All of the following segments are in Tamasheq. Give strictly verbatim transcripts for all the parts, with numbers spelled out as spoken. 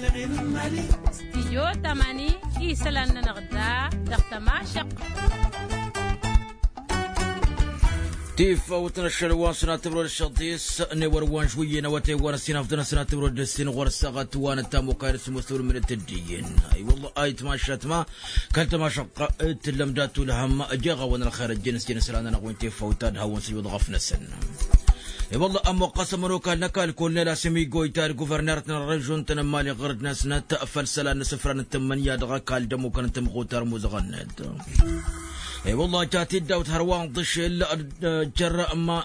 Stidyo tămani isălan-nănăɣ da dăɣ-tămašăɣt. Tifawt n-ašăl wa n-sănatăbro d-ašăḍis n-ewăr wa n-žwǝyyen awătay wa n-ăssinafḍăn ăssinatăbro d-ăssin ɣur-săɣăt wa n-ăttamukayăn s-musăwr mǝnǝt dd-iyyăn. Ay wălla ayǝtmašat ma kăl-tămašăɣt d-tǝllăm dat-ulhăm jeɣ-awăn ălxer ăjjeen s-jăn isălan-nănăɣ wi n-tifawt ta d-hawăn-sǝjwăḍ ɣăf-năsăn. I-wălla ămmoqqăs ămănokal n-ăkall kolnel asimiggoy ta d-guvărner-tăn ărrăžun-tăn n-imali ɣur-dd-năsnăt făll-isălan n-asǝfran n-tǝmmǝnǝya dăɣ-ăkall d-ămmukăn n-tamɣutar muzăɣăn-net. I-wălla ja tiddawt hărwa n-ḍǝšel jer-ma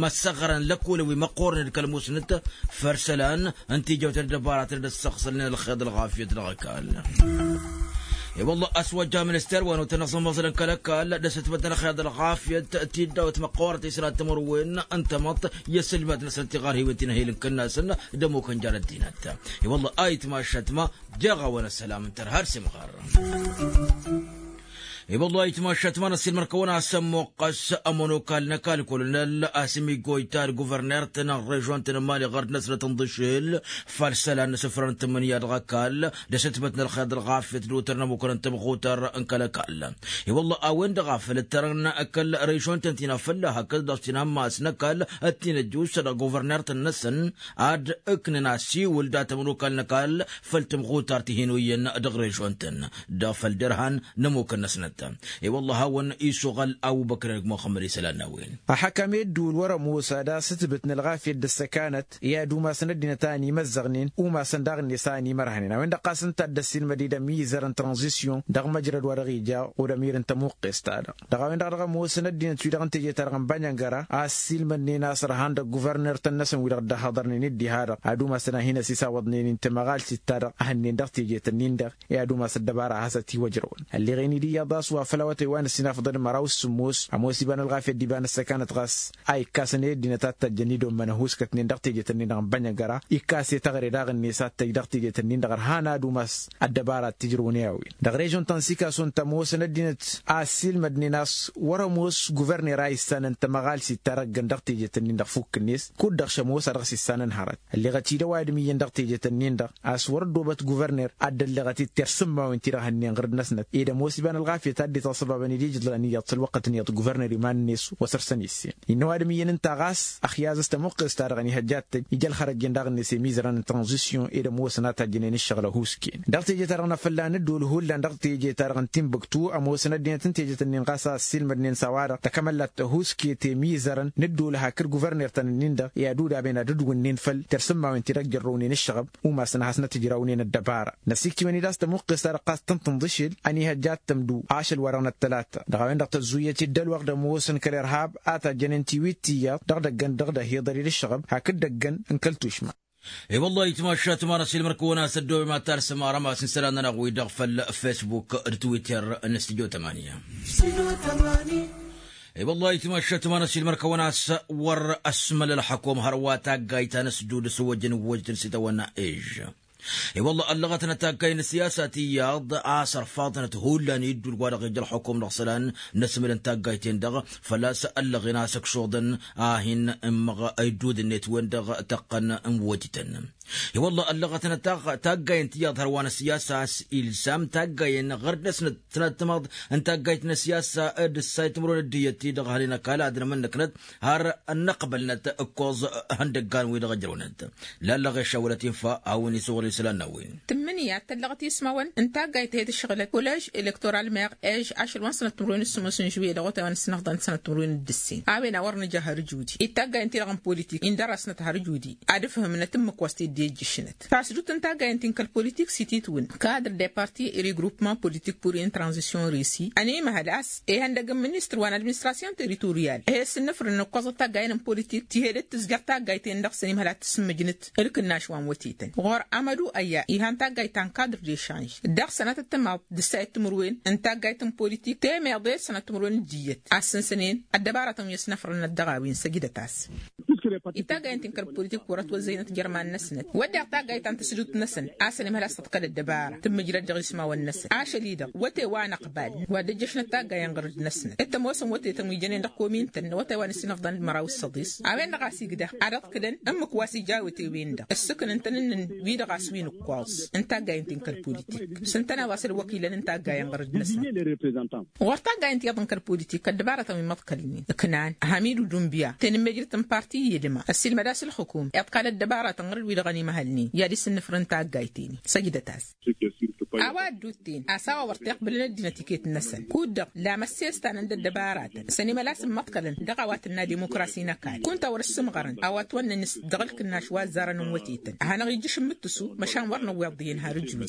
măssăɣrăn lăkkolăn wi măqqoornen d-kăl-musnăt făll-isălan n-tijawt d-ăddăbaratăn d-ăssăɣsălnen ălxeḍ ălɣafyăt dăɣ-ăkall. I-wălla a-s wăjja minister wa n-otănăɣ s-ămmoẓălăn kăl-ăkall d-asǝtmăt n-ălxeḍ ălɣafyăt tiddaw timăqqoorăt isălan timǝrwen n-tamăḍt i-asǝlmad-năsăn tiɣarhiwen ti n-ehil n-kănnasăn d-ămmuk ănjarăt dinăt. I-wălla a itmašat ma jeɣ-awăn ăssălam n-tărha d-simɣar. I-wălla a itmašat ma n-ăssiilmăr-kăwăn a-s ămmoqqăs ămonokal n-ăkall kolonel asǝmiggoy ta d-guvărner-tăn n-režon-tăn n-imali ɣărd-năsnăt n-ḍǝšel făll-isălan n-asǝfran n-tǝmmǝnǝya dăɣ-ăkall d-asǝtmăt n-ălxeḍ ălɣafyăt d-otăr n-ămmukăn n-tamɣutăr n-kăl-ăkall. I-wălla a-wen-dăɣ a făl ǝttărăn kăl-režon-tăn ti n-afălla hakd dăɣ-s ti n-ammas n-ăkall ăttinăjjus dăɣ-guvărner-tăn-năsăn ad-ǝknǝn asiwǝl dat-ămonokal n-ăkall făll-tamɣutăr ti hin-oyyăn dăɣ-režon-tăn dăɣ-făll-derhan n-ămmukăn-năsnăt. I-wălla a hawăn-isuɣăl awǝbăkr ănăg muxămmăd isălan n-a-wen. Ăḥăkăm i-ădduul wăr-ă mosa d-asǝtbǝt n-ălɣafyăt d-ăssăkanăt i-ad-umasăn ăddinăt a ănimăzzăɣnen umasăn daɣ-net a ănimărhănen a-wen-dăɣ ɣas ǝnta a dd-ăssiilmăd-dd ămizăr n-tranzisyon dăɣ-măjrăd wa dăɣ-ija odămir n-tămuqqes-ta-dăɣ. Dăɣ-a-wen-dăɣ dăɣ-ămoosăn ăddinăt-wi-dăɣ n-teje-ta-dăɣ n-bănjăngăra a ăssiilmădnen a-s ărhan dăɣ-guvărner-tăn-năsăn wi-dăɣ dd-ăhhăḍărnen d-diha-dăɣ ad-umasăn ad-hin-ăsisawăḍnen n-tamăɣalsit-ta-dăɣ a hănnen dăɣ-tejet-ǝnnin-dăɣ i-ad-umas ăddăbara a has-ătiwăjrăwăn. Ălleɣen-dd iyyăḍ a-s wa făl awătay wa n-ăssinafăḍăn măraw s-sǝmmos ămoos iba n-ălɣafyăt d-iba n-ăssăkanăt ɣas a ikkasăn i-ăddinăt ad-tăjjăn idommăn ăhuuskătnen dăɣ-tejet-ǝnnin-dăɣ n-bănjăngăra ikkas i-taɣre daɣ-net ad-tăjj dăɣ-tejet-ǝnnin-dăɣ ărhan ad-umas ăddăbara ad-t-ijrăwăn i-a-wen. Dăɣ-režon ta n-sikason tămoosăn ăddinăt a ăssiilmădnen a-s wăr-ămoos guvărner a issanăn tamăɣalsit ta dăɣ-ǝggăn dăɣ-tejet-ǝnnin-dăɣ fukk-net kud-dăɣ šămoos a dăɣ-s issanăn hărăt. Ălleɣăt-dd ăwadǝm iyyăn dăɣ-tejet-ǝnnin-dăɣ a-s wăr-ăddoobăt guvărner ad-dd-ălleɣăt-dd tersǝmmawen-ti-dăɣ hănnen ɣǝrǝd-năsnăt ed ămoos iba n-ălɣafyăt ad-dd-ităsăbabăn-dd ijǝḍlan iyyăḍ s-ălwăqqăt-nǝyăḍ guvărner iman-net wa săr-săn issen. Innă ăwadǝm iyyăn ǝnta ɣas ăxyaz s-tămuqqes-ta-dăɣ ănihăjja ad-tăjj ija ălxărăjjen daɣ-net i-imizărăn n-tranzisyon ed ămoosăn a tajjănen ǝššăɣǝl ăhuusken. Dăɣ-teje-ta-dăɣ n-afălla n-ăddool hullan dăɣ-teje-ta-dăɣ n-timbuktu ămoosăn ăddinăt n-tejet-ǝnnin ɣas a ăssiilmădnen s-a-wa-dăɣ tăkămăllat tăhuuske temizărăn n-ăddool hakd guverner-tăn-ǝnnin-dăɣ i-ad-udabăn ad-ǝdwǝnnen făll-tersǝmmawen-ti-dăɣ jărrăwnen ǝššăɣăb umasăn a hasnăt-ǝjrawnen ăddăbara. Năsikkiwen-dd a-s tămuqqes-ta-dăɣ ɣas tǝntǝnḍǝšel ănihăjja ad-tămdu ašăl-wa-dăɣ n-ăttălata dăɣ-a-wen-dăɣ tăzzuyăt-dd ălwăqq d-ămoosăn kăl-irhab a tajjănen tiwit tiyyăḍ dăɣ-idăggăn dăɣ-dd-ăhiḍăr-dd ǝššăɣăb hakd idăggăn n-kăl-tušma. E-wăllah itmašat ma n-ăsilmăr-kăwăn a-s ăddoobem ad-talsăm arămas n-isălan-nănăɣ-wi-dăɣ făll-facebook d-twitter n-studyo tămani. E-wăllah itmašat ma n-ăsilmăr-kăwăn a-s wăr-ăsmăl ălxăkom hărwa taggayt ta n-ăsdud s-wăjăn wăjtăn s-itawănna ež. E-wăllah ăllăɣătnăt taggay n-siyasa tiyyăḍ a-s ărfaḍnăt hullan iddul wa dăɣ-ija ălxăkom dăɣ-isălan n-asmǝl n-taggayten-dăɣ făl-a-s ăllăɣen a-s ǝkšuḍăn a hin-ǝmmăɣ iddud-net wen-dăɣ tăqqăn n-wăjtăn. I-wălla ăllăɣătnăt taggay n-tiyyăḍ hărwa n-ăssiyasa a-s ilsam taggayen ɣăr-dd-năsnăt tătmaḍ n-taggayt n-ăssiyasa d-ǝssayt timǝrwen d-iyyăt-ti-dăɣ hănen ăkall ad-nămănnăknăt har ănnăqbălnăt ǝkkoẓ ihăndăggan-wi-dăɣ ăjrăwnăt. Lallăɣ i-ašăwălăt infa a-wen-isǝwăl isălan n-a-wen. Tǝmmǝnǝya tăllăɣăt ismawăn n-taggayt tehet ǝššăɣǝlăt kulež elektoral meɣ ež ašăl wa n-sănăt timǝrwen s-sǝmmos n-žuwǝyye dăɣ-otay wa n-ăssinăfḍăn d-sănăt timǝrwen d-ǝssin a-wen a wăr nǝja har ǝjudi d-taggayen-ti-dăɣ n-politik indărăsnăt har ǝjudi ad-ǝfhǝmnăt ǝmmǝk wa s-t-dd-ijjǝšnăt tasdut n-taggayen-ti n-kăl-politik s-ititwǝn kadr de parti regroupement politik pur in tranzisyon risi ănimăhăl a-s ihăndăg n-ministăr wa n-administrasyon teritoryal ehes n-nǝfrǝn n-ǝkkoẓăt taggayen n-politik tihe dd-tǝzjăr taggayt-en-dăɣ s-ănimăhăl ad-tǝssǝmmǝjnǝt ǝlkǝnnaš wa n-wătetăn ɣur-amădu ăyya ihan taggayt ta n-kadr de šanž dăɣ-sănatăt tămaḍt d-ǝssayăt timǝrwen n-taggayt n-politik temeḍe d-sănat timǝrwen d-iyyăt a ǝssǝnsănen ăddăbaratăn wi ăsnăfrănăt dăɣ-a-wen săjdăt-as. Itaggayăn ti n-kăl-politik wăr-ătwăzzăynăt jer-iman-năsnăt wădden taggayt ta n-tǝsdut-năsăn a-s ănimhăl a-s tăḍkăl ăddăbara tǝmmǝjrăd dăɣ-ismawăn-năsăn ašăl-i-dăɣ wăte wa n-ăqbal wa dd-ăjjăšnăt taggayăn ɣur-dd-năsnăt d-tămoosăn wătetăn wi jănen dăɣ-komi ǝntăn n-awătay wa n-ǝssin ăfḍăn d-măraw s-săḍis. A-wen-dăɣ a-s igdăh ad-ăḍkǝlăn ǝmmǝk wa s-ija wăte-wen-dăɣ ǝssǝkǝn ǝntănăn-nǝn wi-dăɣ a-s wi n-ǝkkoẓ n-taggayăn ti n-kăl-politik s-ǝntăneḍ a-s ălwăkilăn n-taggayăn ɣur-dd-năsnăt. Ɣur-taggayăn tiyyăḍ n-kăl-politik ăddăbarătăn wi măḍkălnen ǝknan hamidu dunbya tenǝmmejrăt n-parti i-edăma ăssiilmăd-as ǝlxǝkum iḍkal ăddăbarătăn ɣur-dd wi-dăɣ ănimăhălnen i-ad-issǝnnǝfrǝn taggayt-en. Săjdăt-as a-wa ădduutten a-s a-wa wăr t-iqbǝlăn ăddinăt iket-năsăn kud-dăɣ lamăssestanăn d-ăddăbaratăn s-ănimăl a-s ǝmmăḍkălăn dăɣ-a-wa tǝnna dimukrasi n-ăkall kunta wăr-ǝssǝmɣărăn a-wa ătwănnăn s-dăɣ-ǝlkǝnnaš wa ăzzarăn n-wătetăn ad-hanăɣ-ijjǝš n-imǝttǝsu măšan wăr năwweḍ dihen har ǝjud.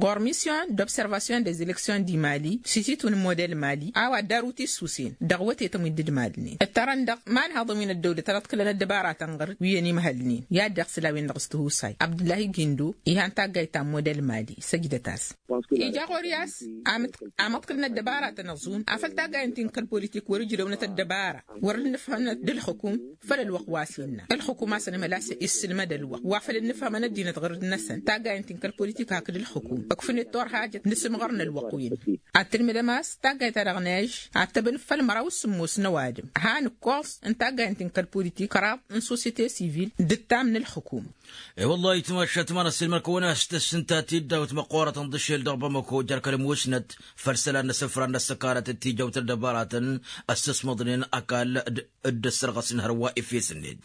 Ɣur-misyon d-observasyon des eleksion di mali s-ititun n-model mali a-wa dd-aru tissusen dăɣ-wătetăn wi dd-ǝdmalnen ǝttărăn dăɣ-imanhaḍăn wi n-ăddăwlăt ad-ăḍkǝlăn ăddăbaratăn ɣur-wi ănimhălnen i-ad-dd-iɣsǝl a-wen-dăɣ s-tihusay abdǝllahi gindo. Ihan taggayt ta n-model mali săjdăt-as ija ɣur-i a-s amǝḍkǝl n-ăddăbaratăn ăẓun afăl taggayăn ti n-kăl-politik wăr-ǝjrăwnăt ăddăbara wăr-dd-nǝfhămnăt d-ǝlxǝkum. Făll-ălwăqq wa s-innă ǝlxǝkum a-s ănimhăl a-s issǝlmăd ălwăqq wa făl dd-nǝfhămăn ăddinăt ɣur-dd-năsăn taggayăn ti n-kăl-politik hakd ǝlxǝkum ǝkfǝnet turhajăt n-asǝmɣăr n-ălwăqq-wen. Ad-tǝlmǝdăm a-s taggayt-ta-dăɣ n-ežž ad-tăbnǝf făll-măraw s-sǝmmos n-ăwadǝm han ǝkkoẓ n-taggayăn ti n-kăl-politik kăraḍ n-sosyete sivil d-ǝttam n-ǝlxǝkum. E-wăllah ayǝtmašat ma n-ăssiilmăr-kăwăn a-s tǝssǝnta tiddawt măqqoorătăn d-ašel dăɣ-bamăko jer-kăl-musnăt făll-isălan n-asǝfran n-ăssăkanăt d-tijawt n-ăddăbaratăn ăssăsmăḍnen ăkall d-ăssărɣăsnen hărwa efes-net.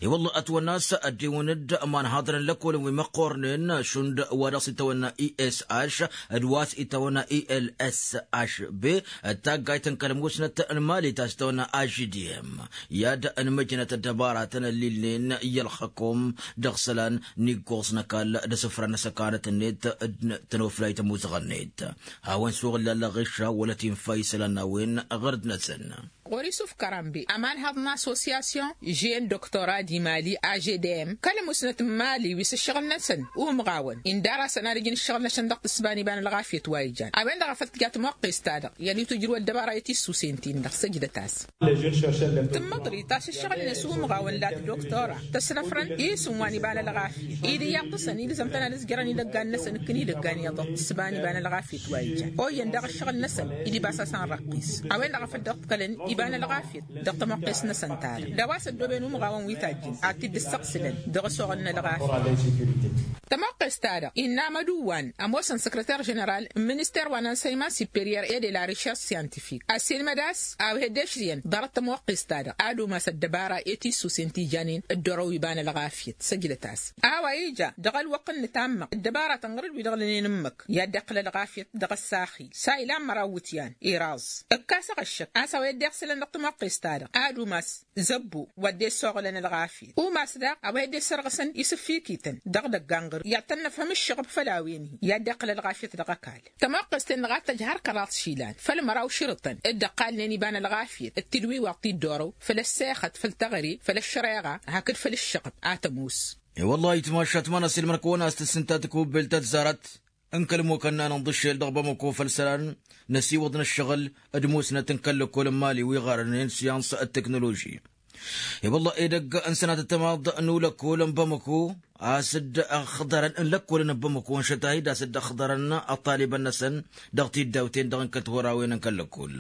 I-wălla ătwănna a-s ăddiwăn-dd imanhaḍăn n-lăkkolăn wi măqqornen šund wa dăɣ-s itawănna i s h d-wa s-itawănna i l s h b d-taggayt n-kăl-musnăt n-mali ta s-itawănna a j d m i-ad-ănmăjnăt ăddăbaratăn ăllilnen i-ălxăkom dăɣ-isălan n-iggoẓ n-ăkall d-asǝfra n-asăkanăt-net d-tănoflayt ămuzăɣ-net. Hawăn-suɣǝlla ălɣiša wăla tinfa isălan n-a-wen ɣur-dd-năsăn. Ɣur-isuf kărambe ămanhăḍ n-assosyasyon žen doktora d-imali a j d m kăl-musnăt n-imali wi s-ǝššăɣǝl-năsăn umɣawăn indar-asăn ad-ǝjǝn ǝššăɣǝl-năsăn dăɣ-tǝssǝba n-iba n-ălɣafyăt wa ijan. A-wen-dăɣ a făl tǝja tămoqqes-ta-dăɣ i-ad-itwǝjrǝw ăddăbara i-tissusen-tin-dăɣ săjdăt-as. Tǝmmăḍrit a-s ǝššăɣǝl-net umɣawăn la t-doktora tăsnăfrăn isǝm wa n-iba n-ălɣafyăt-i d-iyyăḍ-tăsăn ilzăm-tăn ad-ǝzjărăn idăggan-năsăn ǝkkǝn idăggan iyyăḍ dăɣ-tǝssǝba n-iba n-ălɣafyăt wa ijan. Oyyăn daɣ ǝššăɣǝl-năsăn idibas-asăn răqqis. A-wen-dăɣ a făl dd-ǝḍkălăn iba n-ălɣafyăt dăɣ-tămoqqes-năsăn-ta-dăɣ d-a-wa s-ăddooben umɣawăn wi tajjǝn ad-t-dd-ǝssăɣsǝlăn dăɣ-ăsoɣăl n-ălɣafyăt. Tămoqqes-ta-dăɣ innă amăduwan ămoosăn săkrăter ženeral n-minister wa n-ansăyman siperyer e de la rišers syantifik ăssiilmăd a-s a-wa he-dd-ešrǝyăn ḍarăt tămoqqes-ta-dăɣ ad-umas ăddăbara i-tissusen ti janen dd-orow iba n-ălɣafyăt săjdăt-as. A-wa ija dăɣ-ălwăqq n-nǝtammăɣ ăddăbaratăn ɣur-dd wi-dăɣ lănen ǝmmǝk i-ad-dd-iqqǝl ălɣafyăt dăɣ-ăssaxil s-a ilan măraw iwǝtyan iraẓ. Ǝkkas aɣăššăk a-s a-wa dd-iɣsǝlăn dăɣ-tămoqqes-ta-dăɣ ad-umas zăbbu wa dd-essoɣǝlăn ălɣafyăt umas daɣ a-wa dd-esărɣǝsăn isǝffikităn dăɣ-idăggan ɣur-i i-ad-tăn-năfhăm ǝššăɣǝb făll-a-wen-hi i-ad-dd-iqqǝl ălɣafyăt dăɣ-ăkall. Tămoqqes-ten-dăɣ a t-tăj har kăraḍ išilan făll-măraw širǝtăn dd-ăqqalnen iba n-ălɣafyăt d-tilwiwaḍt ti dd-orow făll-ăssexăt făll-teɣăre făll-ăššăreɣa hakd făll-ǝššăɣǝb a tămoos. I-wăllah ayǝtmašat ma n-ăsilmăr-kăwăn a-s tǝssǝnta tăkubbelt ăzzarăt n-kăl-imokănna n-inḍǝššel dăɣ-bamăko făll-isălan n-ăsiwăḍ n-ǝššăɣǝl d-musnăt n-kăl-lăkkol n-imali wi ɣarănen syans d-teknoloži. I-wălla edăgg n-sănatăt tamaḍt n-ulăkkol n-bamăko a-s dd-ăxḍărăn n-lăkkolăn n-bamăko ănšăt a hi-dd-a-s dd-ăxḍărăn ăṭṭalibăn-năsăn dăɣ-tiddawten-dăɣ n-kăl-torawen n-kăl-lăkkol.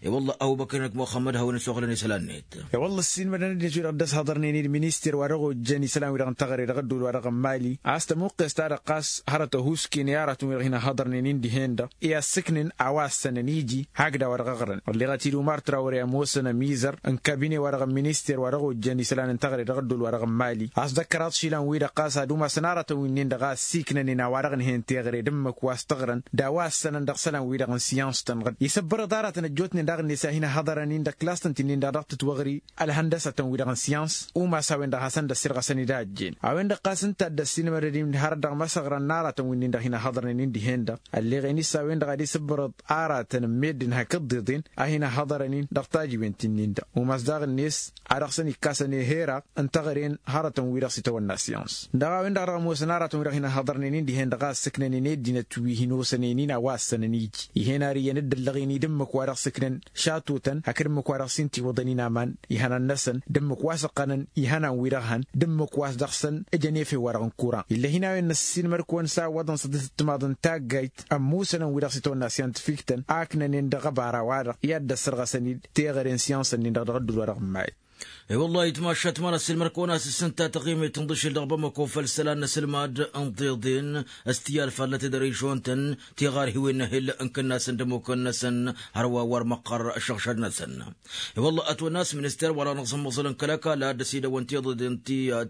I-wălla ăbubăkr n-muxămmăd hawăn-isuɣǝlăn isălan-net. I-wălla ăssiilmădăn ăddinăt wi-dăɣ dd-ăshăḍărnen-in minister wa dăɣ-ojjăn isălan-wi-dăɣ n-teɣăre dăɣ-ădduul wa dăɣ-n mali a-s tămuqqes-ta-dăɣ ɣas hărăt ăhuusken i-aratăn-wi-dăɣ hin-ăhhăḍărnen-in dihen-dăɣ i-assǝknen a-wa ăssănăn iji hakd a-wa dăɣ-ăɣrăn ălleɣăt-dd umar trawre ămoosăn ămizăr n-kabine wa dăɣ-n minister wa dăɣ-ojjăn isălan n-teɣăre dăɣ-ădduul wa dăɣ-n mali a-s dd-ăkkăraḍ išilan-wi-dăɣ ɣas ad-umasăn aratăn wi-nin-dăɣ a ăssiiknănen a-wa dăɣ-nǝhen teɣăre d-ǝmmǝk wa s-tăɣrăn d-a-wa ăssănăn dăɣ-isălan-wi-dăɣ n-syans-tăn-dăɣ isǝbbărăḍ aratăn ăjjootnen daɣ-net a hin-ăhhăḍărăn-in dăɣ-klass-tăn ti-nin-dăɣ dăɣ-tǝtwăɣri ălhăndăsătăn wi-dăɣ n-syans umas a-wen-dăɣ hasăn-dd-ăssirɣăsăn-dd a ăjjeen. A-wen-dăɣ ɣas ǝnta a dd-ăssiilmădăd-in hărăt dăɣ-imăsăɣrăn n-aratăn wi-nin-dăɣ hin-ăhhăḍărnen-in dihen-dăɣ ălleɣen-i s-a-wen-dăɣ ad-isǝbbărăḍ aratăn n-meddǝn hakd dd-iḍen a hin-ăhhăḍărăn-in dăɣ-tajiwen ti-nin-dăɣ umas daɣ-net a dăɣ-săn ikkasăn eheraɣ n-teɣăre n-hărătăn wi-dăɣ s-itawănna syans. Dăɣ-a-wen-dăɣ dăɣ-ămoosăn aratăn wi-dăɣ hin-ăhhăḍărnen-in dihen-dăɣ a ǝssǝknănen ăddinăt wi hin-osănen-in a-wa ăssănăn iji. Ihen ar iyyăn dd-ăllăɣen-i d-ǝmmǝk-wa-dăɣ sǝknăn šatotăn hakd ǝmmǝk-wa-dăɣ s-intiwǝḍăn-in aman ihănan-năsăn d-ǝmmǝk wa s-ǝqqănăn ihănan-wi-dăɣ hăn d-ǝmmǝk wa s-dăɣ-săn. Ǝjăn efew-wa-dăɣ n-kuran ill'-e-hin a-wen năssiinmăr-kăwăn s-a ǝwwăḍăn s-ăddinăt timaḍ n-taggayt ămmusănăn wi-dăɣ s-itawănna syantifiktăn a ǝknănen dăɣ-ăbara-wa-dăɣ i-ad-dd-ăssărɣăsăn-dd teɣăre n-syansăn-in-dăɣ dăɣ-dd-ula dăɣ-may. E-wălla-hi ăytma ašătma n-ăssiilmăr-kăwăn a-s ǝssǝnta taɣimit n-iḍǝšel dăɣ-bamăko făll-isălan n-asǝlmad n-tiḍen s-tiyyalfad n-ătedărižon-tăn tiɣarhiwen n-ehel n-kănnasăn d-ămmukăn-năsăn hărwa wăr măqqăr šăɣšăd-năsăn. E-wălla-hi ătwănna a-s minister wa dăɣ-năẓǝmmăẓǝl n-kăl-ăkall a dd-ăsidăwăn tiḍǝden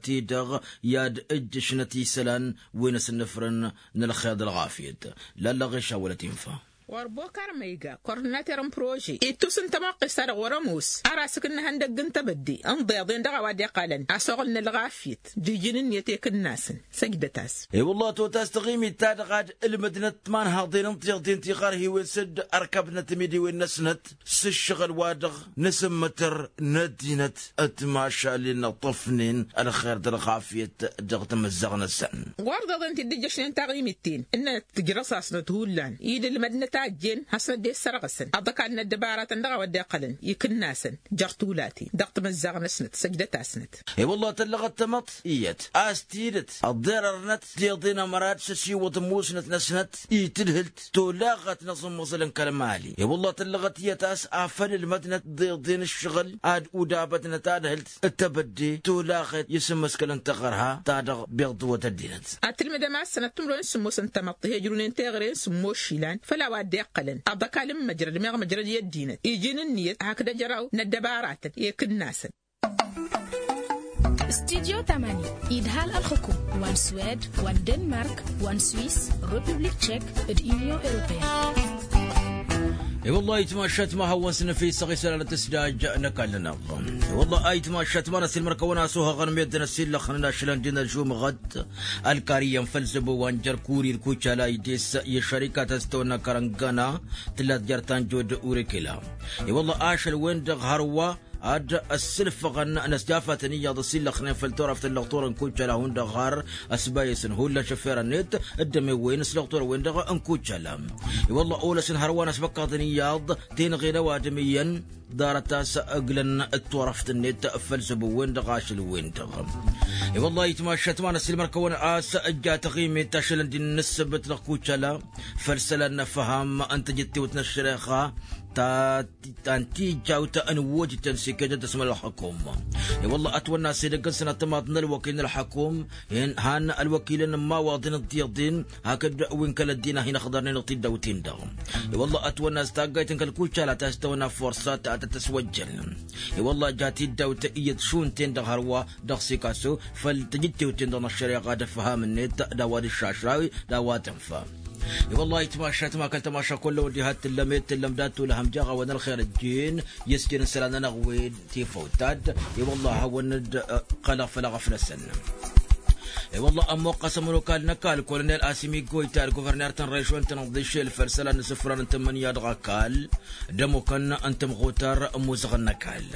ti-dăɣ i-ad-ǝjjǝšnăt isălan wi n-asǝnnǝfrăn n-ălxer d-ălɣafyăt. Lalla ɣešawălăt infa. Wăr bokar ma iga kordinater n-prože ittus n-tamăqqes-ta-dăɣ wăr-ămoos. Ar asǝk n-ihăndăgg n-tebădde n-iḍeḍen dăɣ-a-wa dd-iqqalăn asoɣǝl n-ălɣafyăt d-iji n-ǝnniyăt i-kǝnnasăn. Săjdăt-as. E-wălla-hi ătotas taɣimit-ta-dăɣ ad-ǝlmǝdnăt imanhaḍen n-tiḍen tiɣarhiwen s-dd-ărkăbnăt imidiwen-năsnăt s-ǝššăɣǝl-wa-dăɣ n-asǝmmǝtăr n-ăddinăt. Ătmašalen ăṭṭăfnen ălxer d-ălɣafyăt dăɣ-tamǝzzaɣt-năsăn. Ɣur-iḍeḍen ti dd-ǝjjăšnen taɣimit-ten ǝnnănăt tǝjrăṣaṣnăt hullan i-dd-ǝlmădnăt a ăjjeen hasnăt dd-e-ǝssărɣăsăn aḍăkal n-ăddăbaratăn dăɣ-a-wa dd-iqqălăn ikǝnnasăn jer-tulaten dăɣ-tamǝzzaɣt-năsnăt săjdăt-asnăt. E-wălla-hi tăllăɣăt tamăḍt iyyăt a-s tidǝt ăḍḍerărnăt tiḍen ămăra d-săsiwăḍ ămmusnăt-năsnăt i-tǝdhǝlt tolaɣăt n-aẓǝmmăẓǝl n-kăl-mali. E-wălla-hi tăllăɣăt iyyăt a-s afăl ǝlmădnăt tiḍen ǝššăɣǝl ad-udabătnăt tadhǝlt d-tebădde tolaɣet i-asǝmmǝskăl n-taɣărha ta dăɣ-beḍ dăwăt ăddinăt. Ad-tǝlmǝdăm a-s sănăt timǝrwen s-sǝmmos n-tamăḍt ihăjrunen teɣăre n-sǝmmos išilan făll-a-wa dd-iqqălăn aḍăkal n-măjrăd meɣ măjrăd i-ăddinăt iji n-ǝnniyăt hakd ăjraw n-ăddăbaratăn i-kǝnnasăn. Studyo tamani idhal ălxukum wa n-swed wa n-denmark wa n-swis, republik tšek d-inyon europeyăn. I-wăllah itmašat ma hawăn-săn fi s-ăɣ isălan tǝsdaj n-ăkall-nănăɣ. I-wăllah a itmašat ma n-ăsilmăr-kăwăn a-s ohăɣăn meddǝn ăsillăxnen ašălăn d-inăžumăɣăt ălkar iyyăn făll-zăbo wa n-jer-kuri d-kucala ides i-ăššărikat a-s tăwănna kărăngana tǝllat jer-tanjo d-urikila. I-wăllah ašăl-wen-dăɣ hărwa ad-ăssǝlfăɣăn n-ăsjafatăn iyyăḍ ăsillăxnen făll-turaft n-lăɣturăn kucala hundăɣ har ăsbayăsăn hullan šăfferăn-net d-ămewen s-lăɣturăn-wen-dăɣ n-kucala. I-wăllah olăsăn hărwa n-ăsbăkkaḍăn iyyăḍ tenɣen ăwadǝm iyyăn ḍarăt a-s ǝglăn d-turăft-net făll-zăbo-wen-dăɣ ašăl-wen-dăɣ. I-wăllah itmašat ma n-ăsilmăr-kăwăn a-s ǝjja taɣimit ašălăn d-innă ǝssǝbǝt dăɣ-kucala făll-isălan n-ăfham n-tajǝttewt n-ăššăreɣa ta ta n-tijjawt n-wojǝtăn s-iket d-ăsmăl ălxăkum. I-wălla ătwănna s-edăgg-năsăn ăṭṭămaḍ n-ălwăkil n-ălxăkum han ălwăkilăn n-imawaḍen d-tiḍen hakd wi n-kăl-ăddin a hin-ăxḍărnen dăɣ-tiddawt-in-dăɣ. I-wălla ătwănna s-taggayt n-kăl-kucala ta s-tăwănna forsa ta tăt-ăswăjjănen. I-wălla ja tiddawt iyyăt šund-ten-dăɣ hărwa dăɣ-sikaso făll-tajǝttewt-ten-dăɣ n-ăššăreɣa d-ăfham-net d-a-wa d-iššašrawi d-a-wa tănfa. I-wăllah itmašat ma kăl-tămaša kull-a-wen diha t-tǝllăm ed tǝllăm dat-tulăhăm jaɣ-awăn ălxer ăjjeen i-s jăn isălan-nănăɣ wen tifăwt ta-dd. I-wăllah a hawăn-dd-ăqqălăɣ făll-aɣăf-năsăn. I-wăllah ămmuqqăs ămănokal n-ăkall kolonel asimi goyta d-guverner ta n-režon ta n-aḍišel făll-isălan n-isǝfran n-tǝmmǝnǝya dăɣ-ăkall d-ămmukăn n-tămɣutar n-imuzăɣăn n-ăkall.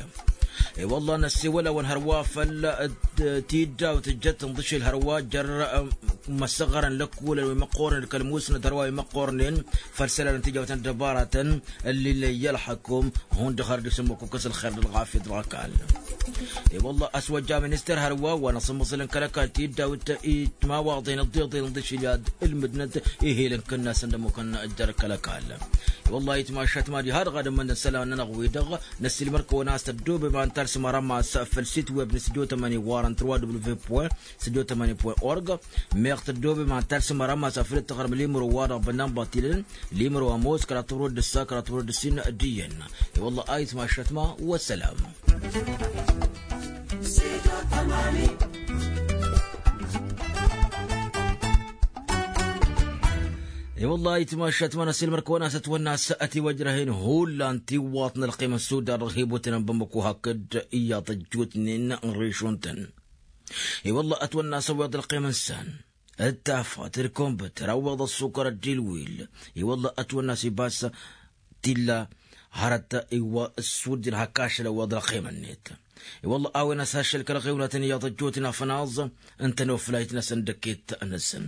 I-wăllah năssewăl-awăn hărwa făll-tiddawt tǝjjăt tǝnḍǝšel hărwa jer-imăssăɣărăn lăkkulăn wi măqqornen d-kăl-musnăt hărwa wi măqqornen făll-isălan n-tijawt n-ăddăbaratăn ǝllilăyya ălxăkum. Hundăɣ har dd-isǝmmǝk ukǝs ălxer d-ălɣafyăt dăɣ-ăkall. I-wăllah ăswăjja minister hărwa wa n-asǝmmăẓǝl n-kăl-ăkall tiddawt itmawaḍen ǝḍḍeḍen ǝḍišǝl i-ad-ǝlmǝdnăt ihel n-kănnasăn d-ămmukăn jer-kăl-ăkall. I-wăllah itmašat ma diha-dăɣ ad-ǝmmǝnăn isălan-nănăɣ-wi-dăɣ năssiilmăr-kăwăn a-s tăddoobem ad-talsǝm arămas făll-sit web n-studio tămani warăn trois w point studio tămani point org. Meɣ tăddoobem ad-talsǝm arămas afăl dd-tăɣrǝm limro-wa-dăɣ bănnan băṭilăn limro ămoos kăraḍ tămrăwăt d-ǝssa kăraḍ tămrăwăt d-ǝssin d-iyyăn. I-wăllah a itmašat ma wăssălam. I-wăllah itmašat ma n-ăsilmăr-kăwăn a-s ătwănna a-s ătiwăjrăh-in hullan tiwwaḍt n-ălqim n-sudar dăɣ-hibutăn n-bamăko hakd iyyăḍ ăjjootnen n-režon-tăn. I-wăllah ătwănna a-s ăwweḍ ălqim n-san d-tafăt d-kumbǝt tărawweḍ ăssukăr d-ilwil. I-wăllah ătwănna a-s ibas tilla hărăt iwwa ăssudden hak ašăl ăwweḍ ălqim-net. I-wălla a-wen a-s ašăl kăl-ăɣewnatăn iyyăḍ ăjjootnen afănaẓ n-tănoflayt-năsăn d-ăkket-năsăn.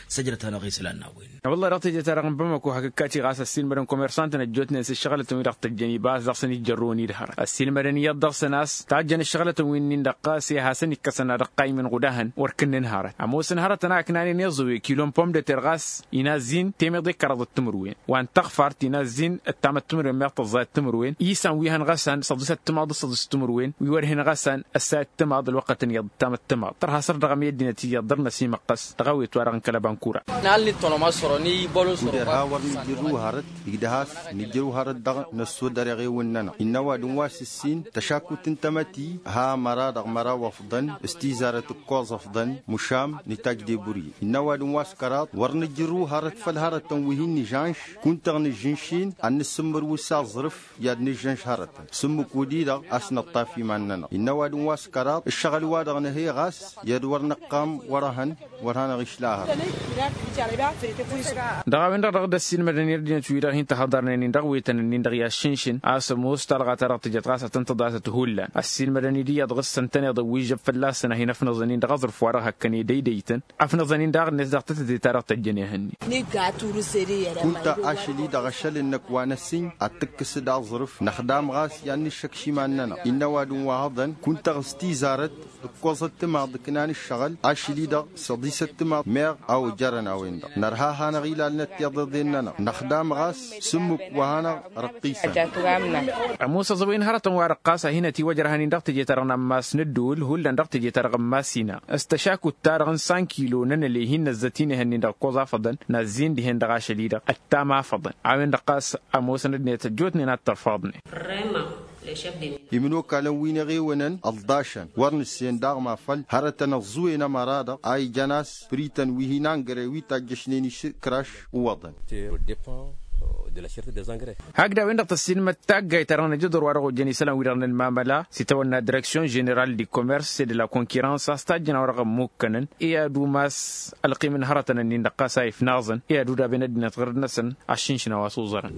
Săjdăt-anăɣ isălan n-a-wen. Wălla-hi dăɣ-teje-ta-dăɣ n-bamako hakk ǝkkaci ɣas ăssiilmădăn komersantăn ăjjootnen s-ǝššăɣǝlătăn wi dăɣ-tăjjăn iba a-s dăɣ-săn ijjărrăwăn-dd hărăt ăssiilmădăn iyyăḍ dăɣ-săn a-s tajjăn ǝššăɣǝlătăn wi-nin-dăɣ ɣas e hasăn-ikkăsăn ad-ăqqaymǝn ɣudahăn wăr kǝnnǝn hărăt ămoosăn hărătăn a ǝknanen iẓǝwe kilon pom de ter ɣas inazzin temeḍe kăraḍăt timǝrwen wa n-taɣfart inazzin ǝttamăt timǝrwen meɣ tăẓẓayăt timǝrwen isan wi hăn ɣăsan săḍisăt timaḍ d-timǝrwen wi wăr hin-ɣăsan ăssayăt timaḍ ălwăqqătăn iyyăḍ ǝttamăt timaḍ tărha săr dăɣ-amăyăddinăt iyyăḍ dăr-năsimăqqăs dăɣ-a-wen itwarăɣ n-kăl-ăbankura. Nalni tănomăsoro n-ibălosoro. Kuder ha wăr nǝjjǝrru hărăt igdăh a-s nǝjjǝrru hărăt dăɣ-năssodăr eɣewǝn-nănăɣ innă ăwadǝm wa s-ǝssin tăšakut n-tamăti ha măra dăɣ-măraw ăfḍăn s-tizarăt ǝkkoẓ ăfḍăn mušam n-itajj deburye innă ăwadǝm wa s-kăraḍ wăr nǝjjǝrru hărăt făll-hărătăn wi hin-nǝžžănš kunta-dăɣ nǝžžǝnš-in ad-nǝssǝmmǝrwǝs aẓrǝf i-ad-nǝžžănš hărătăn sǝmmǝk wăddi-dăɣ a-s nǝṭṭaf iman-nănăɣ innă ăwadǝm wa s-kăraḍ ǝššăɣǝl-wa-dăɣ nǝhey ɣas i-ad-wăr nǝqqam wăr-ehăn wăr hanăɣ-išla hărăt. Dăɣ-a-wen-dăɣ dăɣ-dd-ăssiilmădăn i-ărdinăt-wi-dăɣ hin-tăhăḍarnen-in dăɣ-wetăn-nin-dăɣ i-aššǝnšǝn a-s ămoos talɣa-ta-dăɣ tǝjăt ɣas ad-tăn-tǝḍasăt hullan ăssiilmădăn-dd iyyăḍ ɣǝssăn-tăn iḍǝw wi žăb fălla-săn a hin-ăfnăẓăn-in dăɣ-aẓrǝf-wa-dăɣ hăkkăn edăydăytăn ăfnăẓăn-in daɣ-net dăɣ-tătăte-ta-dăɣ tăjjăn ehăn-net. Kunta ašăl-i-dăɣ ašăl-năk wa n-ăssiin ad-tǝkkǝs d-aẓrǝf năxdam ɣas i-ad-nǝššăkš iman-nănăɣ innă ăwadǝm wa hăḍăn kunta-dăɣ s-tizarăt ǝkkoẓăt timaḍ ǝknan ǝššăɣǝl ašăl-i-dăɣ săḍisăt timaḍ meɣ a ojărăn a-wen-dăɣ nărha a hanăɣ-ilalnăt tiḍeḍen-nănăɣ năxdam ɣas sǝmmǝk wa hanăɣ-răqqisăn. Ămoos ăẓăwen hărătăn wa răqqas a hin-ătiwăjrăhăn-in dăɣ-teje-ta-dăɣ n-ammas n-ǝddǝwǝl hullan dăɣ-teje-ta-dăɣ n-massina s-tăšakut-ta-dăɣ n-sankilo n-ănăley hin-năzzăt-in ehăn-in dăɣ-ǝkkoẓ afăḍăn nazzin dihen dăɣ-ašăl-i-dăɣ ăttam afăḍăn a-wen-dăɣ ɣas ămoosăn ăddinăt ăjjootnen ad-tărfaḍnen. Imǝnokalăn wi n-eɣewănăn ălḍašăn wăr nǝssen daɣ ma făl hărătăn ăẓẓuwen ămăra-dăɣ a ijăn a-s prităn wi hin-angre wi tajjăšnen išǝkraš. Uwăḍăn. Hakd a-wen-dăɣ tăssiilmăd taggayt-ta-dăɣ n-ajăḍor wa dăɣ-ojjăn isălan-wi-dăɣ n-ălmamăla s-itawănna direksyon ženeral di komers et de la konkirans a-s tajjăn a-wa dăɣ-ămmukkănăn i-ad-umas ălqim n-hărătăn-ǝnnin-dăɣ ɣas a ifnaẓăn i-ad-udaben ăddinăt ɣǝrǝd-năsăn. Aššǝnšǝn a-wa s-uẓărăn.